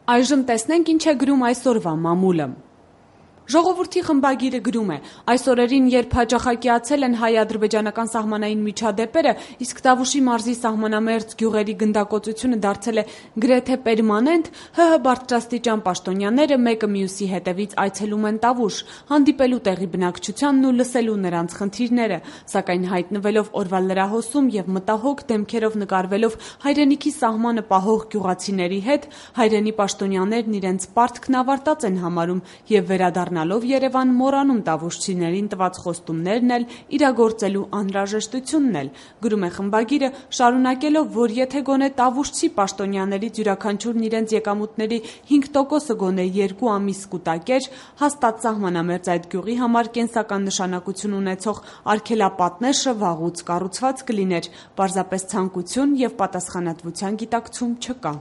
Այժմ տեսնենք ինչ է գրում այսօրվա մամուլը։ Ժողովրդի խմբագիրը գրում է. այս օրերին, երբ հաճախակիացել են հայ-ադրբեջանական սահմանային միջադեպերը, իսկ Տավուշի մարզի սահմանամերձ գյուղերի գնդակոծությունը դարձել է գրեթե պերմանենտ, ՀՀ բարձրաստիճան պաշտոնյաները մեկը մյուսի հետևից այցելում են Տավուշ, հանդիպելու տեղի բնակչությանն ու լսելու նրանց խնդիրները, սակայն հայտնվելով օրվա լրահոսում եւ մտահոգ դեմքերով նկարվելով հայրենիքի սահմանը պահող գյուղացիների հետ, հայրենի պաշտոնյաներն իրենց պարտքն ավարտած են համարում եւ վերադառնալով Երևան մոռանում տավուշցիներին տված խոստումներն էլ իրագործելու անհրաժեշտությունն էլ, գրում է խմբագիրը, շարունակելով, որ եթե գոնե տավուշցի պաշտոնյաներից յուրաքանչյուրն իրենց եկամուտների 5%-ը գոնե 2 ամիս կուտակեր, հաստատ սահմանամերձ այդ գյուղի համար կենսական նշանակություն ունեցող արգելապատնեշը վաղուց կառուցված կլիներ, պարզապես ցանկություն եւ պատասխանատվության գիտակցում չկա։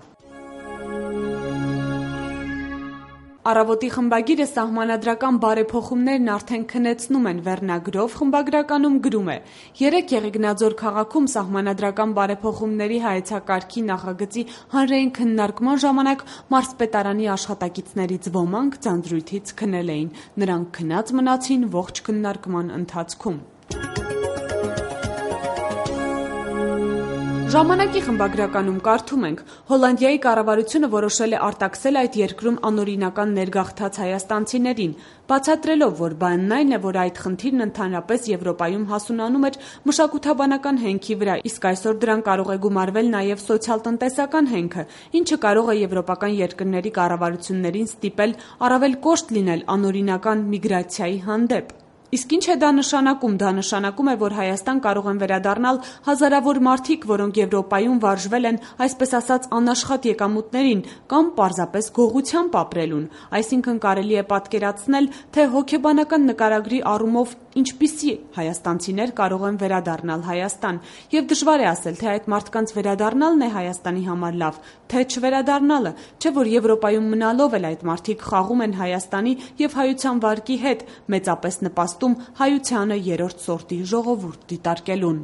Առավոտի խմբագիրը սահմանադրական բարեփոխումներն արդեն քնեցնում են վերնագրով խմբագրականում գրում է. երեկ Եղեգնաձոր քաղաքում սահմանադրական բարեփոխումների հայեցակարգի նախագծի հանրային քննարկման ժամանակ մարզպետարանի աշխատակիցներից ոմանք ձանձրույթից քնել էին, նրանք քնած մնացին ողջ քննարկման ընթացքում։ Ժամանակի խմբագրականում կարդում ենք. Հոլանդիայի կառավարությունը որոշել է արտաքսել այդ երկրում անօրինական ներգաղթած հայաստանցիներին, բացատրելով, որ բանն այն է, որ այդ խնդիրն ընդհանրապես Եվրոպայում հասունանում էր մշակութաբանական հենքի վրա, իսկ այսօր դրան կարող է գումարվել նաև սոցիալ-տնտեսական հենքը, ինչը կարող է եվրոպական երկրների կառավարություններին ստիպել առավել կոշտ լինել անօրինական միգրացիայի հանդեպ։ Իսկ ինչ է դա նշանակում։ Դա նշանակում է, որ Հայաստան կարող են վերադառնալ հազարավոր մարդիկ, որոնք Եվրոպայում վարժվել են, այսպես ասած, անաշխատ եկամուտներին կամ պարզապես գողությամբ ապրելուն։ Այսինքն կարելի է պատկերացնել, թե հոգեբանական նկարագրի առումով ինչպիսի հայաստանցիներ կարող են վերադառնալ Հայաստան։ Եվ դժվար է ասել, թե այդ մարդկանց վերադառնալն է Հայաստանի համար լավ, թե չվերադառնալը, չէ՞ որ Եվրոպայում մնալով էլ այդ մարդիկ խաղում են Հայաստանի եւ հայության վարկի հետ, մեծապես նպաստում հայությանը երրորդ սորտի ժողովուրդ դիտարկելուն։